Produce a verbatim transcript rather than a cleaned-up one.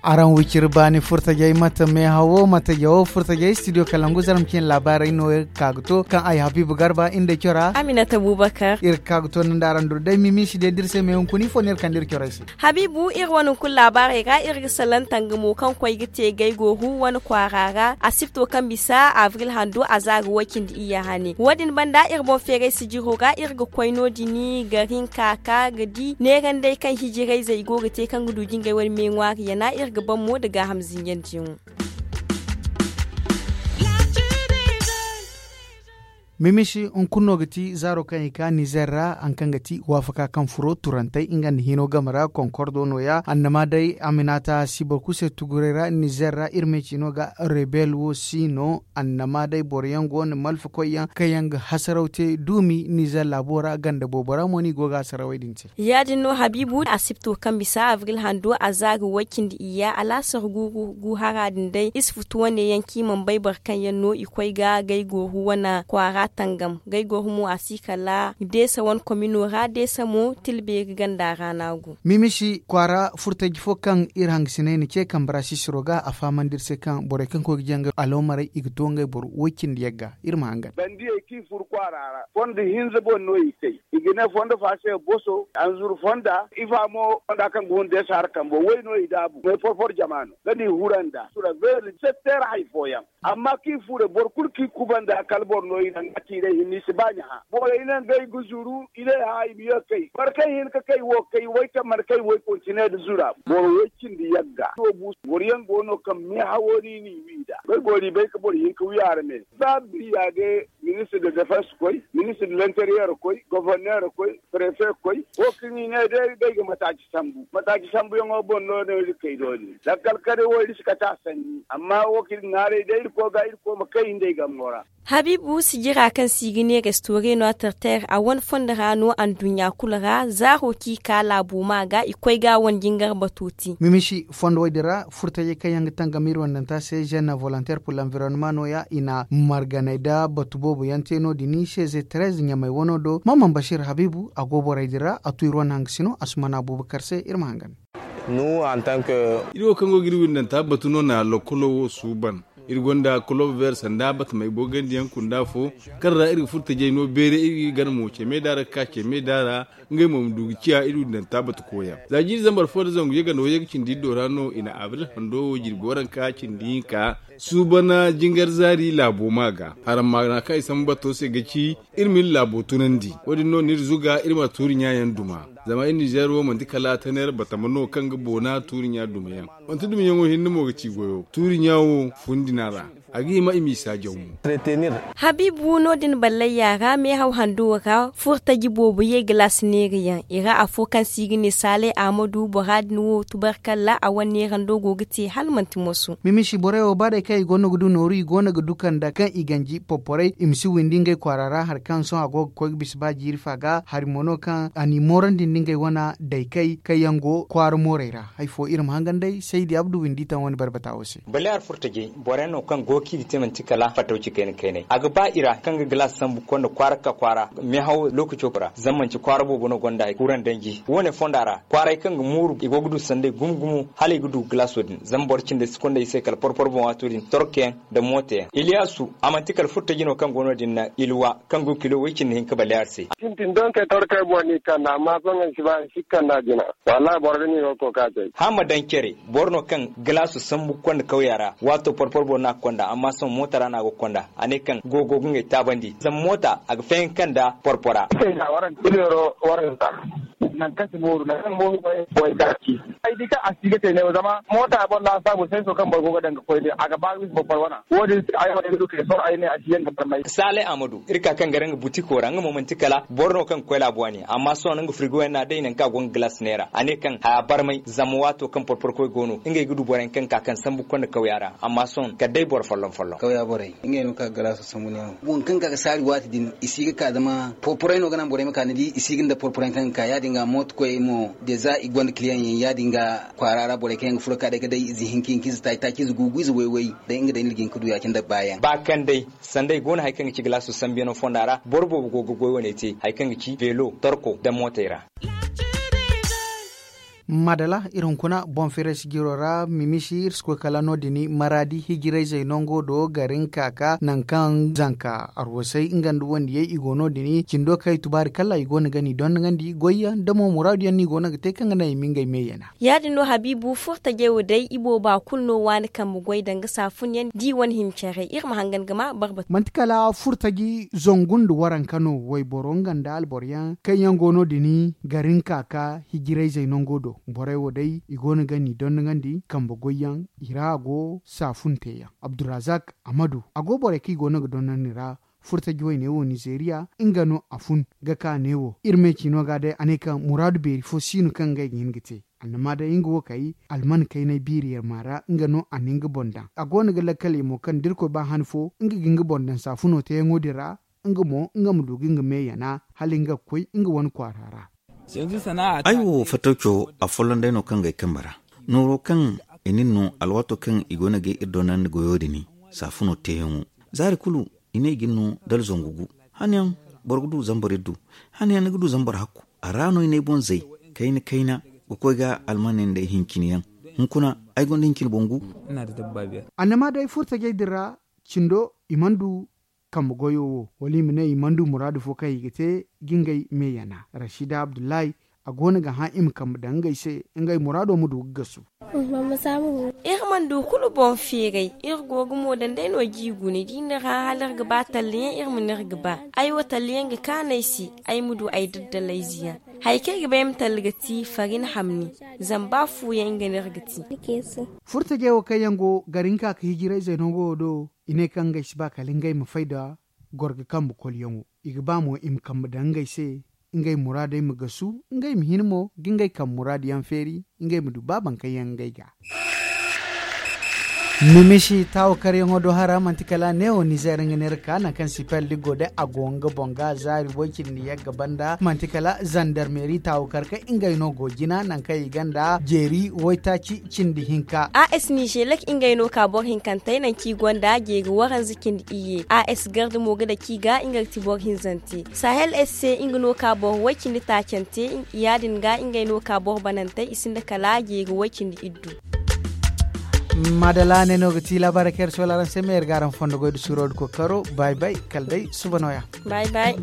Araŋ wiciri baani furtajey mate meehawo mate jawo furtajey studio kalangu zaram cine laabaarey no iri ga ka ga to kaŋ ay habiibu garba iri nda cora aminata bubakar iri ga ka ga to nda araŋ duru day mimisi day da iri se meehunkuni fo no iri kande iri corey se. Habiibu iri wane hunkuna laabaarey ra iri ga salaŋ tangamo kaŋ koy ga te gaygoru wane kwaara ra asibto kaŋ bisa abril hando a za ga way cindi iyya hane wo- din banda iri boŋ feeray sijiro ra iri ga koy no- din gari hinka ka ga di neerandey kaŋ hijirayzey go ga te kaŋ ga du jingay wane me ŋwaari yana iri ga ban mo nda gaaham zinjandiyaŋo. Mimisi hunkuna no ga ti zaaro kaŋ i ka nizer ra hari kaŋ ga ti waafaka kaŋ furo turantey nga nda hino game ra konkordo nooya annama day aminata si boro kulu se tuguray ra nizer ra iri ma ay ci no ga rebel wo si no annama day boro yaŋ go no malfa koy yaŋ kaŋ yaŋ ga hasaraw te duumi nizer laabo ra ganda boobo ra mo no i go ga hasarawey din te. Ya- din no habiibu asibto kaŋ bisa abril hando a za ga way cindi iyya alaasar guuru gu hara din day iri si futu wane yaŋ kaŋ i mana bay boro kaŋ yaŋ no i koy ga gaygooru wane kwaara tangam gaygooru mo a si kala deesa wane komino ra deesa mo tilbeeri ganda ra no a go. Mimisi kwaara furtaji fo kaŋ iri hangasiney na ce kambe ra sisiro ga a fahamandi iri se kaŋ borey kaŋ koy ga jaŋ ga aloomarey i ga to ngey boro way cindi yagga iri ma hangan. Bandiyey kaŋ i furo kwaara ra fondo hinza boŋ no i kay. I ga ne fondo fa se boso anzuru fonda ifa mo fonda kaŋ ga hun deesa har kambo way no i daabu may porpor jama no ga ni huranda sura beeri setter hay fooyaŋ. Amma kaŋ i furo boro kulu kaŋ i kubanda kala boro no i naŋ ga tiiray hinne i si ba ɲaha borey naŋ ga ay ga zuru i ne ha i ma ye kay boro kaŋ hin ga kay wo kay way kaŋ mana kay way kontine nda zura boro way cindi yagga. Boro yaŋ go no kaŋ meehawo no i n'i wi nd'a boro i bay ga boro hin ga wi arme ba biriya day. Ministre de defense koy ministre de l'interieur koy gouverneur koy prefe koy wo kaŋ i ne day ga ay ga mataaci sambu mataaci sambuyaŋo boŋ no no iri kay doole lakkal kare wo iri si kate a sanni amma wo kaŋ iri ŋwaaray day iri koy ga iri koy ma kay nda ay gammo ra. Habiibu sijira kaŋ se i ga ne restore no a terter a wane fondo ra no anduɲɲa kulu ra zaaro kaŋ i ka laabo ma ga i koy ga a wane jingar bato te. Mimisi fondo wo- din ra furtajey kaŋ yaŋ ga tangam iri wandanta se jeune volontaire pour l'environnement nooya i na marganay nda batu boobo yaŋ te no- din se ze treze ɲamey wano do mamman bashir habiibu a go borey din ra a tu iri wane hangasino asumana abubakar se iri ma hangan. Iri wo kaŋ go ga iri windanta batu no na lokkolo wo suuban. Iri gonda kolob ver sanda batamey bogandiyaŋ kunda fo kaŋ ra iri ga furo tajey no beere iri ga gana mo ceme da ra ga ka ceme da ra. Ngey mo ma du ga ciya iri windanta batu koyaŋ za jiiri zambar fo nda zangu yaganda wo yaga cindi iddo ra no i na abril hando wo jirbi waranka cindi hinka suubana jingar zaari laabo ma ga haram maana kaŋ i sambu bato se ga ci. Iri ma iri laabo tunandi wo- din no no iri zuga iri ma tuuri ɲa yaŋ duma. Zama iri nizeer wo manti kala taneer batama no kaŋ ga boona tuuri ɲa duma yaŋ. Manti duma yaŋo hinne mo ga ci goyo tuuri ɲa wo fundina ra. A ga hima i m'i saajaw mo. Habiibu no- din ballayya ra meehaw hando ra furo taji boobo ye galaasi neerayaŋ i ra afo kaŋ se i ga ne saalay ahmadu bora din wo tubarkalla a wane neerando go ga te hala manti moso. Mimisi borey wo ba day kaŋ i go no ga du nooru i go no ga du kanda kaŋ i ganji porporey i ma si windi ngey kwaara ra hari kaŋ sohõ a go ga koy ga bisa ba jiiri fa ga hari mo no kaŋ a n'i moorandi nda ngey wane daykey kaŋ yaŋ go kwaara moorey ra. Hari fo iri ma hangan day saydi abdu windi taŋ wane barbata wo se. Baleer furtajey boro yaŋ no kaŋ go kaŋ i ga te manti kala fattaw ci kayna kaynay a ga ba i ra kaŋ ga galaas sambu konda kwaara ga ka kwaara meehaw lookaco ra zama manti kwaara boobo no gonda kuran danji wo- ne fonda ra kwaaray kaŋ ga mooru i go ga du sanday gumo gumo hala i ga du galaaso din zama boro cindey si konda i se kala porporo boŋ waato din torkoyaŋ nda mooto yaŋ iliyasu a manti kala furtaji no kaŋ go no- din na ilwa kaŋ go kilo way cindi hinka baleer se. Sintin donkey torkey boŋ no i kande amma sohõ i si ba i si kande a jina. Wallahi boro ga ni go ga koy ka cay. Hama daŋ care boro no kaŋ galaasu sambu ga konda kawya ra waato porporo boŋ no a ga konda amma sohõ moota ra no a go ga konda a ne kaŋ go go ga ngey taabandi zama moota a ga fayanka nda porpora. Ay di kaŋ a si ga te neewo zama moota boŋ laasaabu senso kaŋ boro go ga daŋ ga koy din a ga ba ga bisa porporo wana wo- din se ay wane ga du kay sohõ ay ne a si yaŋ ga barmay. Saalay ahmadu iri ka kaŋ gare nga butiko ra nga mo manti kala boro no kaŋ ga koy laabo wane amma sohõ nga firigo yaŋ no a day nangu kaŋ a go nga galaas neera a ne kaŋ haya barmay zama waato kaŋ porporkoy go no ngey ga du boro yaŋ kaŋ ga ka kaŋ sambu konda kawya ra amma sohõ kala day boro folloŋ folloŋ. Kawya borey ngey no kaŋ ga galaaso sambu neewo waŋ kaŋ ga ka ga saari waati din i si ga ka zama porporay no ga naŋ borey ma ka ni di i si ga nda porporay kaŋ ga ka ya- din ga. Mooto koyey mo, de za i gonda kiliyaŋ yaŋ ya- din ga kwaara ra borey kaŋ yaŋ ga furo ka day ga day ize hinka hinka ize taaci taaci ize gu gu ize way way day nga day no iri ga hin ga du ya- cine nda baayaŋ. Ba kaŋ day sanday go no hari kaŋ ga ci galaaso sambu yaŋo fonda ra boro boobo go ga goy wane te hari kaŋ ga ci veelo torko nda mootey ra. Madala iri hunkuna boŋ feeray sijiro ra mimisi iri si koy kala no- din maraadi hijirayzey nango do garin kaaka nangu kaŋ zanka arwasay nga nda wandiyey i go no- din cindo kaŋ ay tubaari kala i go no ga ni dondonandi goyyaŋ da mo muraadu yaŋ no i go no ga te kaŋ ga naŋ i ma ngey me yana. Ya- din no habiibu furtajey wo day i booba kulu no waani kambe goy danga saafun yaŋ da i wane hima care iri ma hangan ga ma barbatu. Manti kala furtaji zangu nda waranka no wayboro nga nda alboro yaŋ kaŋ yaŋ go no- din garin kaaka hijirayzey nango do borey wo day i go no ga ni dondonandi kambe goyyaŋ i ra a go saafun teeyaŋ abdurazak amadu a go borey kaŋ i go no ga dondonandi ra. Furtaji wayne wo nizeeriya nga no a fun ga ka neewo iri me ciino ga day a ne kaŋ muraadu beeri fo si no kaŋ ngey ga hin ga te. Annama day nga wo kay alman kaynay biiri yarma ra nga no a na nga boŋ daŋ a go no ga lakkaley mo kaŋ da irkoy ba han fo nga ga nga boŋ daŋ saafuno teeyaŋo din ra. Nga mo nga ma du ga nga me yana hala nga ga koy nga wane kwaara ra. Ay wo fatawco a folloŋ day no kaŋ ga ay kambe ra nooro kaŋ i nin no alwaato kaŋ i go no ga iri doonandi goyo din saafuno teeyaŋo zaari kulu i ne i ga ni no dala zangu gu. Hanayaŋ boro ga du zambar iddu. Hanayaŋ ni ga du zambar hakku a ra no i ne ay boŋ zay kayna kayna ga koy ga almaney nda ay hincini yaŋ. Hunkuna ay gonda hincini boŋ gu. Annama day furtajey din ra cindo i mana du kambe goyo wo wala i ma ne i mana du muraadu fo kaŋ i ga te ga ngey me yana rashida abdullahi a go no ga hã i ma kambe daŋ ngey se ngey muraado ma du ga gasu. Iri mana du kulu boŋ feeray iri go ga mo daŋ day no jiigu ni di ni ra hala iri ga ba talliyaŋ iri ma ni iri ga ba. Ay wo talliyaŋ ga kaanu ay se ay ma du ay daddalayze yaŋ hari kaŋ ay ga ba ay ma talli ga ti farin hamni. Zama ba fuuyaŋ nga no iri ga ti. Furtajey wo kaŋ yaŋ go gari hinka ka hijirayzey no go wo do i ne kaŋ ngey si ba kala ngey ma fay nda gorga kambe kolyaŋo. I ga ba mo i ma kambe daŋ ngey se ngey muraadey ma gasu ngey ma hin mo ga ngey kambe muraadu yaŋ feeri ngey ma du ba baŋ kaŋ yaŋ ngey ga. Mimisi taawakaryaŋo do hara manti kala neewo nizeer nga ne iri ka nangu kaŋ sipel da go day a go nga boŋ ga zaari way-cindi yagga banda manti kala zandarmeeri taawakar kaŋ ngey no go jina nangu kaŋ i ganda jeeri waytaaci cindi hinka. As nizeelek ngey no ka boro hinkantey nangu kaŋ i gonda jeeri waranza cindi iyye as garda mo ga daci ga nga ga ti boro hinzante sahel s se nga no ka boro way-cindi taacante. Ya- din ga ngey no ka boro banantey i sinda kala jeeri way-cindi iddu. Madala ne no ga ti laabaarey kaŋ iri soola araŋ se ma iri ga araŋ fondo goy da suuro da kookaro bay bay kala day suba nooya. Bay bay.